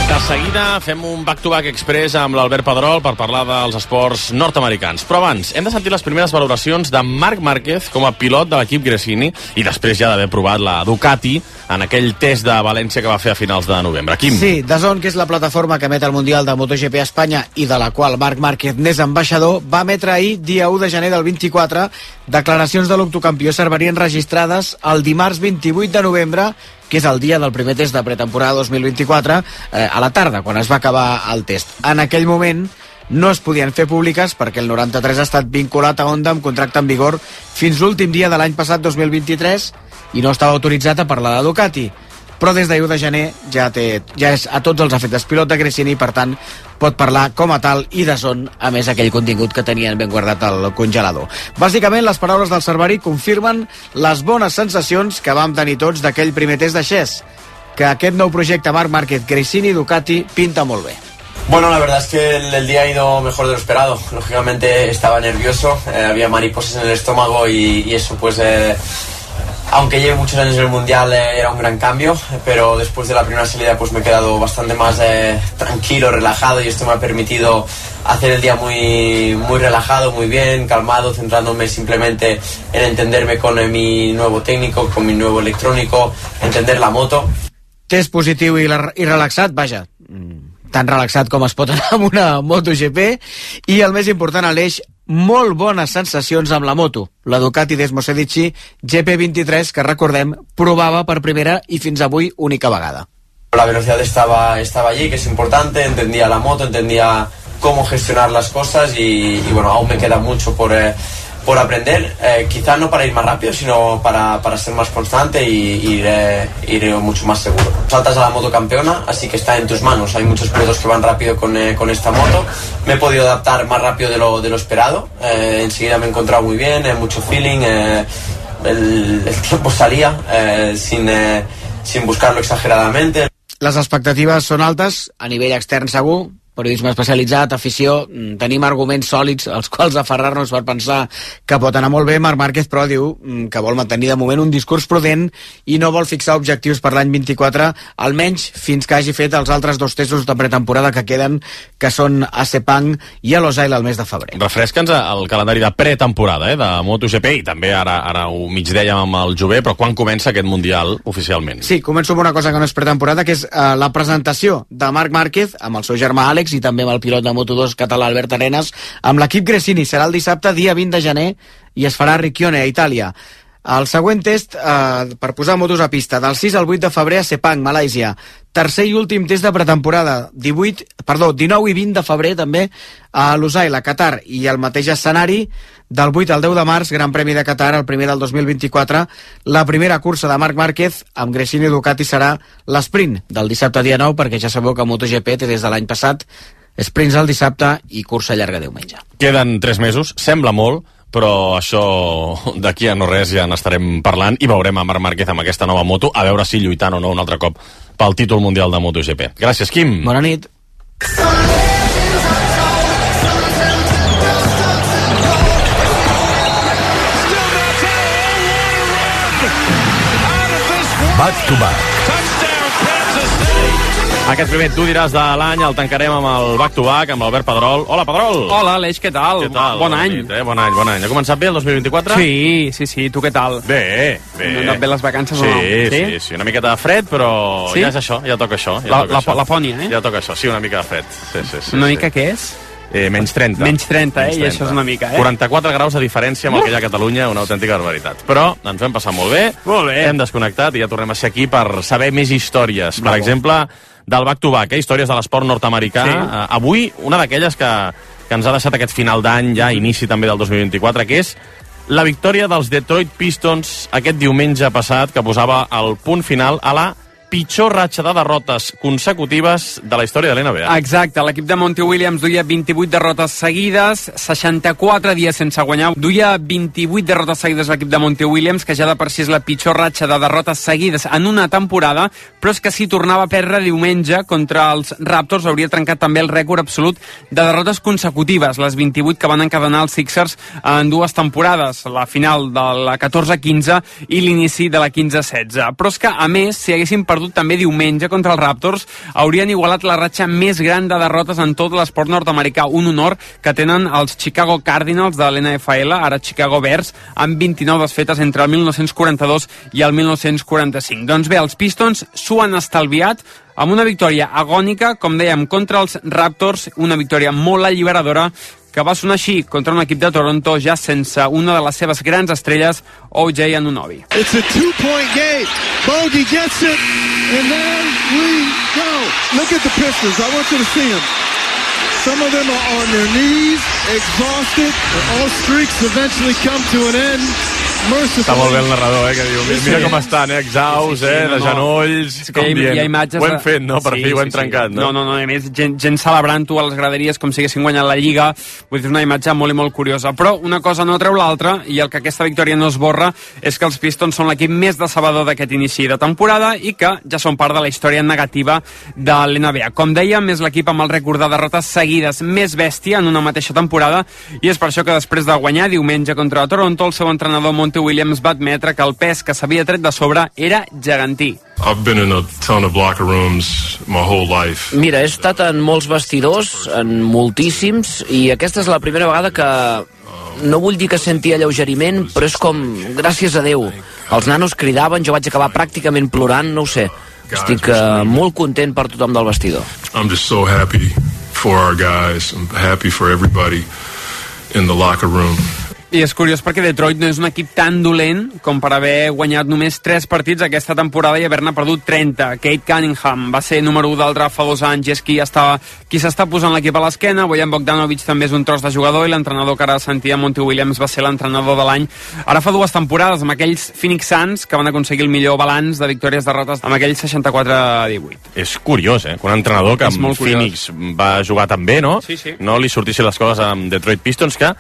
De seguida fem un back-to-back express amb l'Albert Pedrol per parlar dels esports nord-americans. Però abans, hem de sentir les primeres valoracions de Marc Márquez com a pilot de l'equip Gresini i després ja d'haver provat la Ducati en aquell test de València que va fer a finals de novembre. Quim? Sí, D A Z N, que és la plataforma que emet el Mundial de MotoGP a Espanya i de la qual Marc Márquez n'és ambaixador, va emetre ahir, dia u de gener del vint-i-quatre, declaracions de l'octocampió servarien registrades el dimarts vint-i-vuit de novembre, que és el dia del primer test de pretemporada dos mil vint-i-quatre, eh, a la tarda, quan es va acabar el test. En aquell moment no es podien fer públiques perquè el noranta-tres ha estat vinculat a Honda amb contracte en vigor fins l'últim dia de l'any passat dos mil vint-i-tres i no estava autoritzat a parlar de Ducati. Però des d'ahir de gener ja, té, ja és a tots els efectes pilot de Gresini, per tant pot parlar com a tal i D A Z N, a més aquell contingut que tenien ben guardat al congelador. Bàsicament, les paraules del Cerverí confirmen les bones sensacions que vam tenir tots d'aquell primer test de Xes, que aquest nou projecte Marc Márquez, Gresini, Ducati, pinta molt bé. Bueno, la verdad es que el, el día ha ido mejor de lo esperado. Lógicamente estaba nervioso, eh, había mariposas en el estómago y, y eso pues... Eh, aunque lleve muchos años en el Mundial, eh, era un gran cambio, pero después de la primera salida pues me he quedado bastante más eh, tranquilo, relajado, y esto me ha permitido hacer el día muy, muy relajado, muy bien, calmado, centrándome simplemente en entenderme con eh, mi nuevo técnico, con mi nuevo electrónico, entender la moto. Test positiu i, la, i relaxat, vaja, tan relaxat com es pot anar amb una MotoGP, i el més important, Aleix, molt bones sensacions amb la moto, la Ducati Desmosedici G P vint-i-tres, que recordem provava per primera i fins avui única vegada. La velocidad estaba, estaba allí, que es importante, entendía la moto, entendía cómo gestionar las cosas y, y bueno, aún me queda mucho por, eh, por aprender, eh, quizá no para ir más rápido, sino para, para ser más constante y ir, eh, ir mucho más seguro. Saltas a la moto campeona, así que está en tus manos. Hay muchos pilotos que van rápido con, eh, con esta moto. Me he podido adaptar más rápido de lo, de lo esperado. Eh, enseguida me he encontrado muy bien, eh, mucho feeling. Eh, el, el tiempo salía eh, sin, eh, sin buscarlo exageradamente. Les expectatives són altes, a nivell extern segur, periodisme especialitzat, afició, tenim arguments sòlids als quals aferrar-nos per pensar que pot anar molt bé. Marc Márquez, però, diu que vol mantenir de moment un discurs prudent i no vol fixar objectius per l'any vint-i-quatre, almenys fins que hagi fet els altres dos testos de pretemporada que queden, que són a Sepang i a Losail al mes de febrer. Refresca'ns el calendari de pretemporada, eh, de MotoGP, i també ara, ara ho mig dèiem amb el Jové, però quan comença aquest Mundial oficialment? Sí, començo amb una cosa que no és pretemporada, que és uh, la presentació de Marc Márquez amb el seu germà Àlex i també amb el pilot de Moto dos català Albert Arenas amb l'equip Gresini. Serà el dissabte, dia vint de gener, i es farà a Riccione, a Itàlia. El següent test eh, per posar motos a pista, del sis al vuit de febrer a Sepang, Malàisia. Tercer i últim test de pretemporada, divuit, perdó, dinou i vint de febrer també a Lusail, a Qatar, i el mateix escenari del vuit al deu de març, Gran Premi de Qatar, el primer del dos mil vint-i-quatre. La primera cursa de Marc Márquez amb Gresini i Ducati serà l'esprint del dissabte dia nou, perquè ja sabeu que MotoGP té des de l'any passat sprints el dissabte i cursa llarga diumenge. Queden tres mesos, sembla molt, però això d'aquí a no res ja n'estarem parlant i veurem a Marc Márquez amb aquesta nova moto, a veure si lluitant o no un altre cop pel títol mundial de MotoGP. Gràcies, Quim. Bona nit. Back to back. Aquest primer tu diràs de l'any el tancarem amb el back-to-back, amb l'Albert Pedrol. Hola, Pedrol! Hola, Aleix, què tal? Què tal? Bon any. Nit, eh? Bon any, bon any. Ha començat bé el dos mil vint-i-quatre? Sí, sí, sí. Tu què tal? Bé, bé. No han anat bé les vacances sí, o no? Sí, sí, sí. Una miqueta de fred, però sí? ja és això, ja toca això. Ja la, toca la, això. la pònia, eh? Ja toca això, sí, una mica de fred. Sí, sí, sí, una sí. mica què és? Eh, menys trenta. Menys trenta, eh? I això és una mica, eh? quaranta-quatre graus de diferència amb el que hi ha a Catalunya, una autèntica barbaritat. Però ens hem passat molt bé, molt bé. Hem desconnectat i ja tornem a ser aquí per saber més històries. Per Bravo. exemple, del back-to-back, eh? Històries de l'esport nord-americà. Sí. Uh, avui, una d'aquelles que, que ens ha deixat aquest final d'any, ja inici també del dos mil vint-i-quatre, que és la victòria dels Detroit Pistons aquest diumenge passat, que posava el punt final a la pitjor ratxa de derrotes consecutives de la història de l'N B A. Exacte, l'equip de Monty Williams duia vint-i-vuit derrotes seguides, seixanta-quatre dies sense guanyar. Duia vint-i-vuit derrotes seguides l'equip de Monty Williams, que ja de per si és la pitjor ratxa de derrotes seguides en una temporada, però és que si tornava a perdre diumenge contra els Raptors hauria trencat també el rècord absolut de derrotes consecutives, les vint-i-vuit que van encadenar els Sixers en dues temporades, la final de la catorze quinze i l'inici de la quinze setze. Però és que, a més, si haguessin perdut també diumenge contra els Raptors, haurien igualat la ratxa més gran de derrotes en tot l'esport nord-americà, un honor que tenen els Chicago Cardinals de l'N F L, ara Chicago Bears, amb vint-i-nou desfetes entre el mil nou-cents quaranta-dos i el mil nou-cents quaranta-cinc. Doncs bé, els Pistons s'ho han estalviat amb una victòria agònica, com dèiem, contra els Raptors, una victòria molt alliberadora, que va sonar així contra un equip de Toronto ja sense una de les seves grans estrelles, O J Anunoby. It's a two-point game. Bogey gets it, and there we go. Look at the Pistons. I want you to see them. Some of them are on their knees, exhausted, and all streaks eventually come to an end. Està molt bé el narrador, eh, que diu, mira, mira com estan, eh, exhaus, eh, de genolls, com hi, dient, hi ha imatges ho hem fet, no? Per sí, fi ho hem sí, trencat, sí. no? No, no, no, a més, gent, gent celebrant-ho a les graderies com si haguessin guanyat la Lliga, vull dir, una imatge molt i molt curiosa. Però una cosa no treu l'altra, i el que aquesta victòria no esborra és que els Pistons són l'equip més decebedor d'aquest inici de temporada i que ja són part de la història negativa de l'N B A. Com dèiem, és l'equip amb el rècord de derrotes seguides més bèstia en una mateixa temporada, i és per això que després de guanyar diumenge contra Toronto, el seu entrenador Monty Williams va admetre que el pes que s'havia tret de sobre era gegantí. I've been in a ton of locker rooms my whole life. Mira, he estat en molts vestidors, en moltíssims, i aquesta és la primera vegada que no vull dir que senti alleugeriment, però és com, gràcies a Déu. Els nanos cridaven, jo vaig acabar pràcticament plorant, no ho sé. Estic uh, molt content per tothom del vestidor. I'm just so happy for our guys. I'm happy for everybody in the locker room. I és curiós perquè Detroit no és un equip tan dolent com per haver guanyat només tres partits aquesta temporada i haver-ne perdut trenta. Kate Cunningham va ser número u del draft fa dos anys i és qui, estava, qui s'està posant l'equip a l'esquena. Bojan Bogdanovic també és un tros de jugador i l'entrenador que ara sentia, Monty Williams, va ser l'entrenador de l'any. Ara fa dues temporades amb aquells Phoenix Suns que van aconseguir el millor balanç de victòries-derrotes amb aquells seixanta-quatre a divuit. És curiós, eh? Que un entrenador que amb Phoenix va jugar tan bé, no? Sí, sí. No li sortissin les coses amb Detroit Pistons, que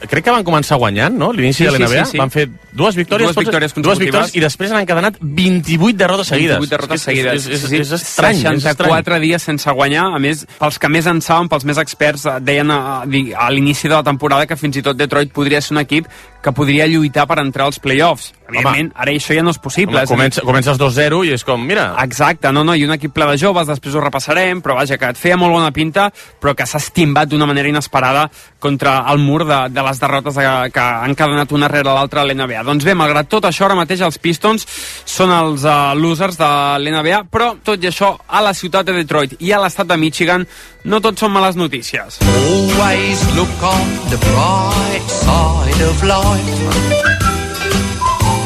crec que van començar guanyant, no? L'inici sí, de l'N B A. Sí, sí, sí. Van fer dues victòries, dues victòries tots, dues victòries i després han encadenat vint-i-vuit derrotes seguides. vint-i-vuit derrotes és, seguides. És, és, sí, sí. és estrany. seixanta-quatre dies sense guanyar. A més, pels que més en saben, pels més experts, deien a, a l'inici de la temporada que fins i tot Detroit podria ser un equip que podria lluitar per entrar als playoffs. Evidentment, ara això ja no és possible. Home, comença, comences dos zero i és com, mira... Exacte, no, no, i un equip ple de joves, després ho repassarem, però vaja, que et feia molt bona pinta, però que s'ha estimbat d'una manera inesperada contra el mur de, de les derrotes que, que han encadenat una rere l'altra a l'N B A. Doncs bé, malgrat tot això, ara mateix els Pistons són els uh, losers de l'N B A, però tot i això, a la ciutat de Detroit i a l'estat de Michigan, no tot són males notícies. Always look on the bright side of life.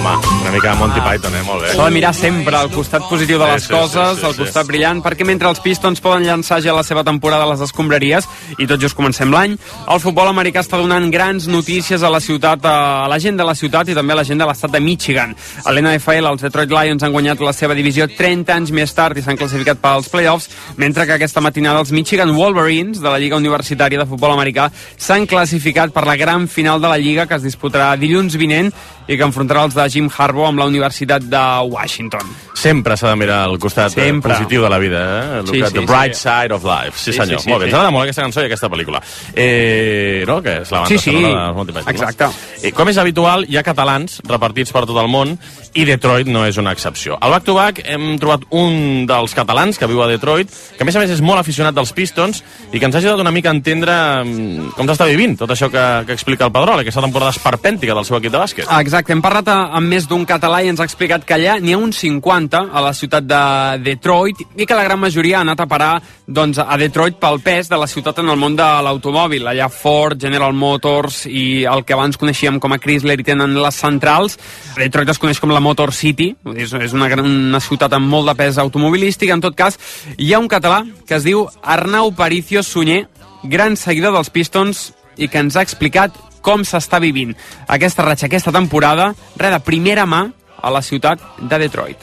Home, una mica Monty Python, eh? Molt bé. S'ha de mirar sempre al costat positiu de les sí, sí, coses, sí, sí, al costat sí. brillant, perquè mentre els Pistons poden llançar ja la seva temporada a les escombraries, i tot just comencem l'any, el futbol americà està donant grans notícies a la ciutat, a la gent de la ciutat i també a la gent de l'estat de Michigan. A l'N F L, els Detroit Lions han guanyat la seva divisió trenta anys més tard i s'han classificat pels playoffs, mentre que aquesta matinada els Michigan Wolverines, de la Lliga Universitària de Futbol Americà, s'han classificat per la gran final de la Lliga, que es disputarà dilluns vinent i que enfrontarà els de Jim Harbaugh amb la Universitat de Washington. Sempre s'ha de mirar el costat Sempre. positiu de la vida, eh? Sí, sí, The bright sí. side of life. Sí, Sí, senyor. sí, sí, molt bé, sí. ens agrada molt aquesta cançó i aquesta pel·lícula. Eh, no? Que és la banda Sí, sí. sonora de Monty Python. Exacte. No? Eh, com és habitual, hi ha catalans repartits per tot el món i Detroit no és una excepció. Al back-to-back hem trobat un dels catalans que viu a Detroit, que a més a més és molt aficionat dels Pistons i que ens ha ajudat una mica a entendre mm, com s'està vivint tot això que, que explica el Pedrol, aquesta temporada esperpèntica del seu equip de bàsquet. Exacte, hem parlat amb més d'un català i ens ha explicat que allà n'hi ha uns cinquanta planta a la ciutat de Detroit i que la gran majoria ha anat a parar doncs, a Detroit pel pes de la ciutat en el món de l'automòbil. Allà Ford, General Motors i el que abans coneixíem com a Chrysler hi tenen les centrals. Detroit es coneix com la Motor City, és, és una, gran, una ciutat amb molt de pes automobilístic. En tot cas, hi ha un català que es diu Arnau Paricio Sunyer, gran seguidor dels Pistons i que ens ha explicat com s'està vivint aquesta ratxa, aquesta temporada, res de primera mà a la ciutat de Detroit.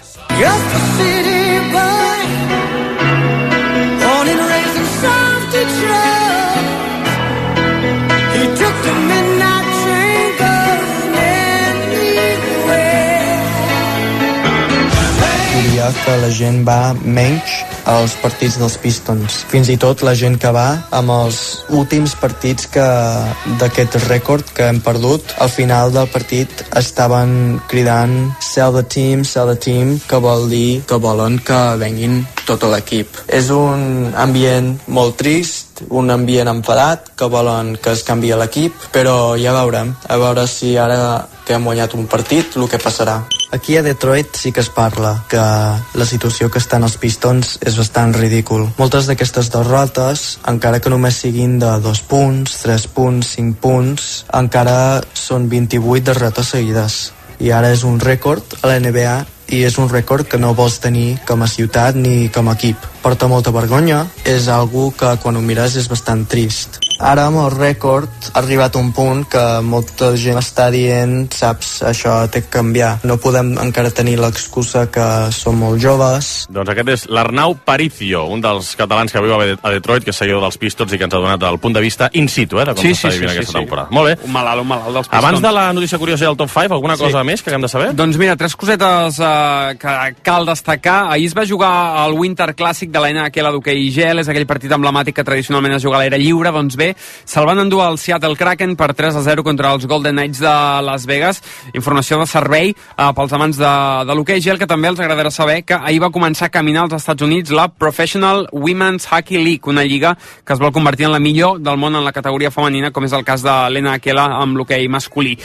Que la gent va menys als partits dels Pistons. Fins i tot la gent que va amb els últims partits que d'aquest rècord que hem perdut, al final del partit estaven cridant sell the team, sell the team, que vol dir que volen que venguin tot l'equip. És un ambient molt trist, un ambient enfadat, que volen que es canvia l'equip, però ja veurem, a veure si ara que hem guanyat un partit, el que passarà. Aquí a Detroit sí que es parla que la situació que estan els Pistons és bastant ridícul. Moltes d'aquestes derrotes, encara que només siguin de dos punts, tres punts, cinc punts, encara són vint-i-vuit derrotes seguides. I ara és un rècord a la N B A i és un rècord que no vols tenir com a ciutat ni com a equip. Porta molta vergonya, és algo que quan ho mires és bastant trist. Ara amb el rècord ha arribat un punt que molta gent està dient, saps, això té que canviar. No podem encara tenir l'excusa que som molt joves. Doncs aquest és l'Arnau Paricio, un dels catalans que viu a Detroit, que és seguidor dels Pistons i que ens ha donat el punt de vista in situ, eh, de com sí, s'està sí, vivint sí, aquesta sí, temporada. Sí. Molt bé. Un malalt, un malalt dels Pistons. Abans de la notícia curiosa i el top cinc, alguna cosa sí. més que haguem de saber? Doncs mira, tres cosetes eh, que cal destacar. Ahir es va jugar al Winter Classic de la N H L d'hoquei i gel, és aquell partit emblemàtic que tradicionalment es juga a l'aire lliure. Doncs bé, se'l van endur al Seattle Kraken per tres a zero contra els Golden Knights de Las Vegas. Informació de servei eh, pels amants de, de l'hoquei gel, que també els agradarà saber que ahir va començar a caminar als Estats Units la Professional Women's Hockey League, una lliga que es vol convertir en la millor del món en la categoria femenina, com és el cas de l'N H L amb l'hoquei masculí.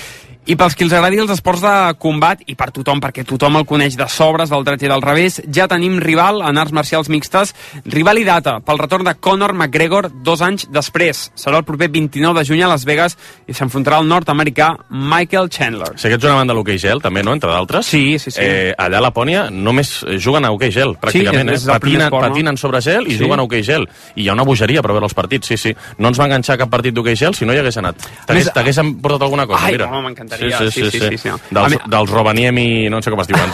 I pels qui els agradi els esports de combat, i per tothom, perquè tothom el coneix de sobres, del dret i del revés, ja tenim rival en arts marcials mixtes, rival i data pel retorn de Conor McGregor dos anys després. Serà el proper vint-i-nou de juny a Las Vegas i s'enfrontarà al nord-americà Michael Chandler. Sé que ets un amant de l'hoquei gel, també, no?, entre d'altres. Sí, sí, sí. Eh, allà a Lapònia només juguen a hoquei gel, pràcticament. Sí, és, és eh? Patinen, esport, no? patinen sobre gel i sí. juguen a hoquei gel. I hi ha una bogeria per veure els partits, sí, sí. No ens va enganxar cap partit d'hoquei gel si no hi hagués anat. T'hagués portat alguna cosa, Ai, mira. Ai, m'encantaria. Sí, sí, sí. sí, sí. Sí, sí, no. Dels, mi... dels Rovaniemi, no sé com es diuen,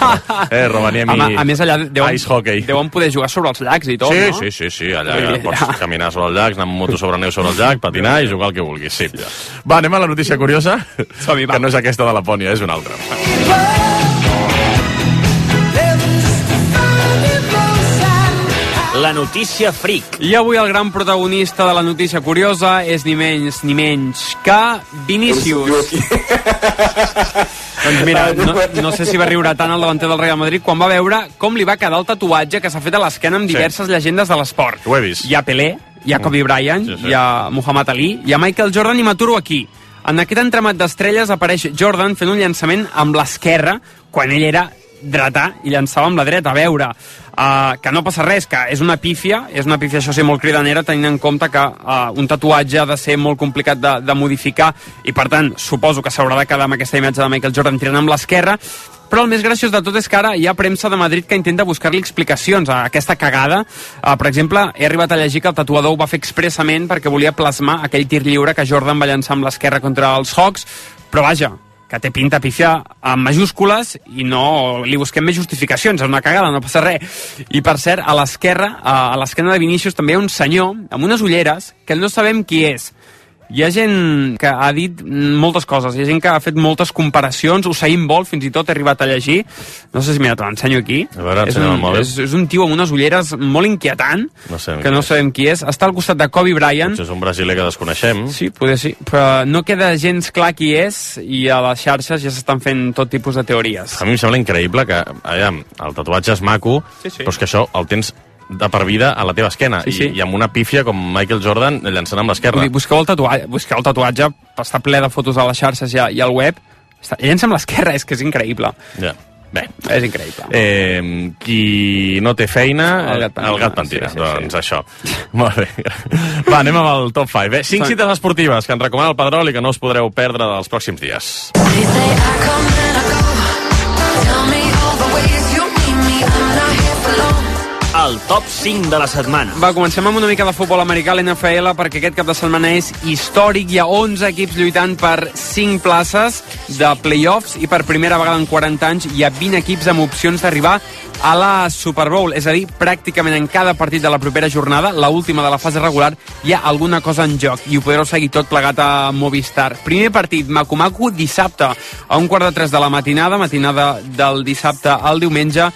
eh, Rovaniemi a, a més allà deuen, ice hockey. Deuen poder jugar sobre els llacs i tot, sí, no? Sí, sí, sí, allà sí, pots ja. caminar sobre els llacs, anar amb moto sobre neu sobre el llac, patinar i jugar el que vulguis, sí. Ja. Va, anem a la notícia curiosa, Som-hi, que no és aquesta de Lapònia, és una altra. La notícia fric. I avui el gran protagonista de la notícia curiosa és ni menys ni menys que Vinícius. Doncs mira, no, no sé si va riure tant el davanter del Real Madrid quan va veure com li va quedar el tatuatge que s'ha fet a l'esquena amb diverses sí. llegendes de l'esport. Ho he vist. Hi ha Pelé, hi ha Kobe Bryant, sí, sí. hi ha Muhammad Ali, hi ha Michael Jordan i m'aturo aquí. En aquest entramat d'estrelles apareix Jordan fent un llançament amb l'esquerra quan ell era dretà i llançava amb la dreta. A veure, uh, que no passa res, que és una pífia, és una pífia, això sí, molt cridanera, tenint en compte que uh, un tatuatge ha de ser molt complicat de, de modificar i, per tant, suposo que s'haurà de quedar amb aquesta imatge de Michael Jordan tirant amb l'esquerra, però el més graciós de tot és que ara hi ha premsa de Madrid que intenta buscar-li explicacions a aquesta cagada. Uh, per exemple, he arribat a llegir que el tatuador ho va fer expressament perquè volia plasmar aquell tir lliure que Jordan va llançar amb l'esquerra contra els Hawks, però vaja, que té pinta pífia amb majúscules i no li busquem més justificacions, és una cagada, no passa res. I per cert, a l'esquerra, a l'esquena de Vinícius també hi ha un senyor amb unes ulleres que no sabem qui és. Hi ha gent que ha dit moltes coses, hi ha gent que ha fet moltes comparacions, Usain Bolt fins i tot he arribat a llegir, no sé si mira, te l'ensenyo aquí. A veure, és, un, és, és un tio amb unes ulleres molt inquietant, no sé que no sabem qui és, està al costat de Kobe Bryant. Potser és un brasiler que desconeixem. Sí, poder sí, però no queda gens clar qui és i a les xarxes ja s'estan fent tot tipus de teories. A mi em sembla increïble que, aviam, el tatuatge és maco, sí, sí. però és que això el tens de per vida a la teva esquena sí, sí. I, i amb una pífia com Michael Jordan llançant amb l'esquerra. Busqueu el tatuatge, busqueu el tatuatge, està ple de fotos a les xarxes i, a, i al web, està, llença amb l'esquerra, és que és increïble. Ja. Bé, és increïble. Eh, qui no té feina, el gat pentina. El gat pentina. Sí, sí, doncs sí. això. Molt bé. Va, anem amb el top cinc. Bé, cinc cites esportives que ens recomana el Pedrol i que no us podreu perdre dels pròxims dies. El top cinc de la setmana. Va, comencem amb una mica de futbol americà a l'N F L, perquè aquest cap de setmana és històric. Hi ha onze equips lluitant per cinc places de playoffs i per primera vegada en quaranta anys hi ha vint equips amb opcions d'arribar a la Super Bowl. És a dir, pràcticament en cada partit de la propera jornada, la última de la fase regular, hi ha alguna cosa en joc i ho podreu seguir tot plegat a Movistar. Primer partit, Macu-Macu, dissabte a un quart de tres de la matinada, matinada del dissabte al diumenge,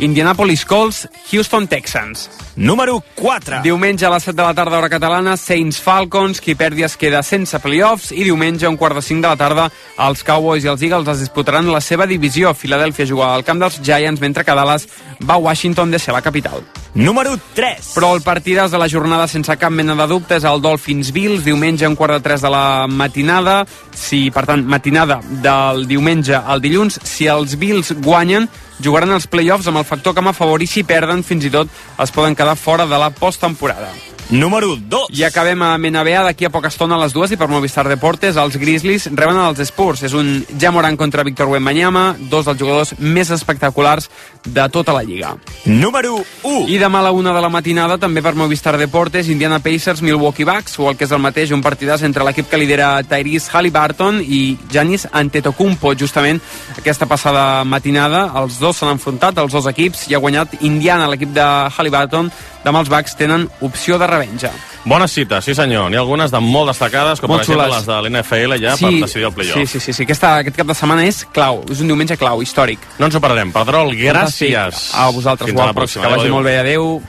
Indianapolis Colts, Houston Texans. Número quatre. Diumenge a les set de la tarda, hora catalana, Saints Falcons, qui perdi es queda sense playoffs, i diumenge a un quart de cinc de la tarda, els Cowboys i els Eagles es disputaran la seva divisió. Philadelphia juga al camp dels Giants, mentre que Dallas va a Washington de ser la capital. Número tres. Però el partidàs de la jornada sense cap mena de dubte és el Dolphins-Bills, diumenge a un quart de tres de la matinada. Si, per tant, matinada del diumenge al dilluns, si els Bills guanyen, jugaran els playoffs amb el factor camp a favor, i si perden, fins i tot es poden quedar fora de la posttemporada. Número dos. I acabem amb N B A d'aquí a poca estona a les dues, i per Movistar Deportes els Grizzlies reben els Spurs. És un Ja Morant contra Víctor Wembanyama, dos dels jugadors més espectaculars de tota la lliga. Número u. I demà a la una de la matinada, també per Movistar Deportes, Indiana Pacers, Milwaukee Bucks, o el que és el mateix, un partidàs entre l'equip que lidera Tyrese Haliburton i Giannis Antetokounmpo. Justament aquesta passada matinada els dos s'han enfrontat, els dos equips, i ha guanyat Indiana, l'equip de Haliburton. Demà els Bucks tenen opció de revenja. Bones cites, sí senyor. N'hi ha algunes de molt destacades, com molt per exemple xules. les de l'N F L ja, sí, per decidir el playoff. Sí, sí, sí, sí. Aquesta, aquest cap de setmana és clau, és un diumenge clau, històric. No ens ho perdrem. Pedrol, gràcies. Fantàstic. A vosaltres, Fins a la guapos. pròxima. Que vagi Adéu. molt bé, adeu.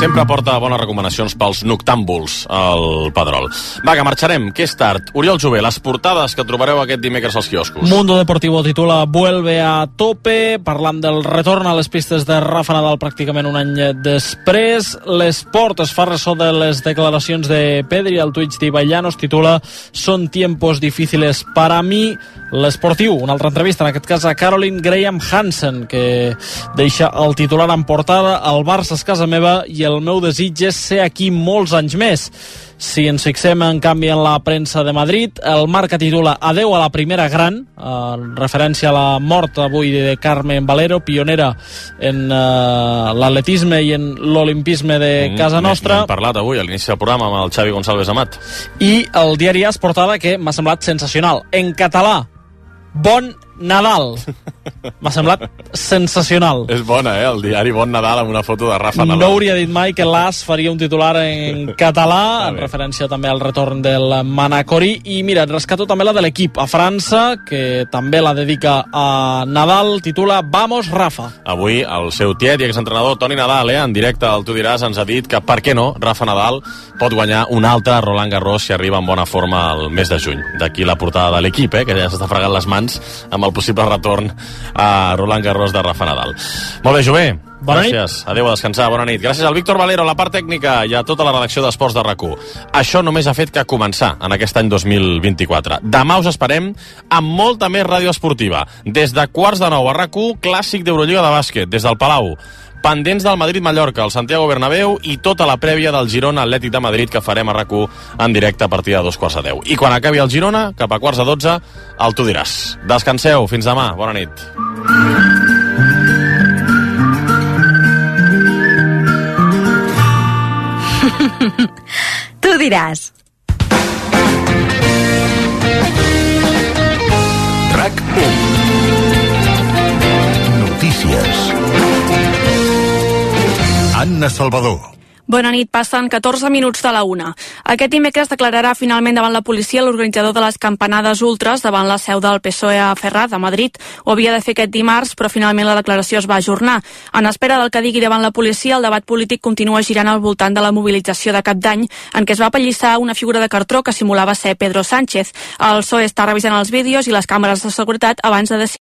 Sempre porta bones recomanacions pels noctàmbuls, el Pedrol. Va, que marxarem, que és tard. Oriol Jové, les portades que trobareu aquest dimecres als quioscos. Mundo Deportivo titula Vuelve a tope, parlant del retorn a les pistes de Rafa Nadal pràcticament un any després. L'Esport es fa ressò de les declaracions de Pedri, el Twitch d'Ibai Llanos titula Son tiempos difíciles para mí. L'Esportiu, una altra entrevista, en aquest cas a Caroline Graham Hansen, que deixa el titular en portada: el Barça és casa meva i el meu desig és ser aquí molts anys més. Si ens fixem, en canvi, en la premsa de Madrid, el Marca titula Adeu a la primera gran, en referència a la mort avui de Carmen Valero, pionera en uh, l'atletisme i en l'olimpisme de casa nostra. N'hem parlat avui a l'inici del programa amb el Xavi González Amat. I el diari AS portada, que m'ha semblat sensacional. En català, Bon Nadal. M'ha semblat sensacional. És bona, eh? El diari Bon Nadal amb una foto de Rafa Nadal. No hauria dit mai que l'As faria un titular en català, en referència també al retorn del Manacorí. I mira, rescato també la de l'equip a França, que també la dedica a Nadal, titula Vamos Rafa. Avui el seu tiet i exentrenador Toni Nadal, eh, en directe al Tu diràs, ens ha dit que, per què no, Rafa Nadal pot guanyar un altre Roland Garros si arriba en bona forma el mes de juny. D'aquí la portada de l'equip, eh, que ja s'està fregant les mans amb el possible retorn a Roland Garros de Rafa Nadal. Molt bé, Jové. Bona Gràcies. Nit. Adéu, a descansar. Bona nit. Gràcies al Víctor Valero, a la part tècnica, i a tota la redacció d'Esports de RAC u. Això només ha fet que començar en aquest any dos mil vint-i-quatre. Demà us esperem amb molta més ràdio esportiva. Des de quarts de nou a RAC u, clàssic d'Eurolliga de bàsquet, des del Palau. Pendents del Madrid-Mallorca, el Santiago Bernabéu i tota la prèvia del Girona Atlètic de Madrid que farem a RAC u en directe a partir de dos quarts de deu. I quan acabi el Girona, cap a quarts de dotze, el Tu diràs. Descanseu, fins demà, bona nit. Tu diràs. RAC u. Notícies. Anna Salvador. Bona nit, passen catorze minuts de la una. Aquest dimecres declararà finalment davant la policia l'organitzador de les campanades ultres davant la seu del P S O E a Ferraz, a Madrid. Ho havia de fer aquest dimarts, però finalment la declaració es va ajornar. En espera del que digui davant la policia, el debat polític continua girant al voltant de la mobilització de Cap d'Any, en què es va apallissar una figura de cartró que simulava ser Pedro Sánchez. El P S O E està revisant els vídeos i les càmeres de seguretat abans de decidir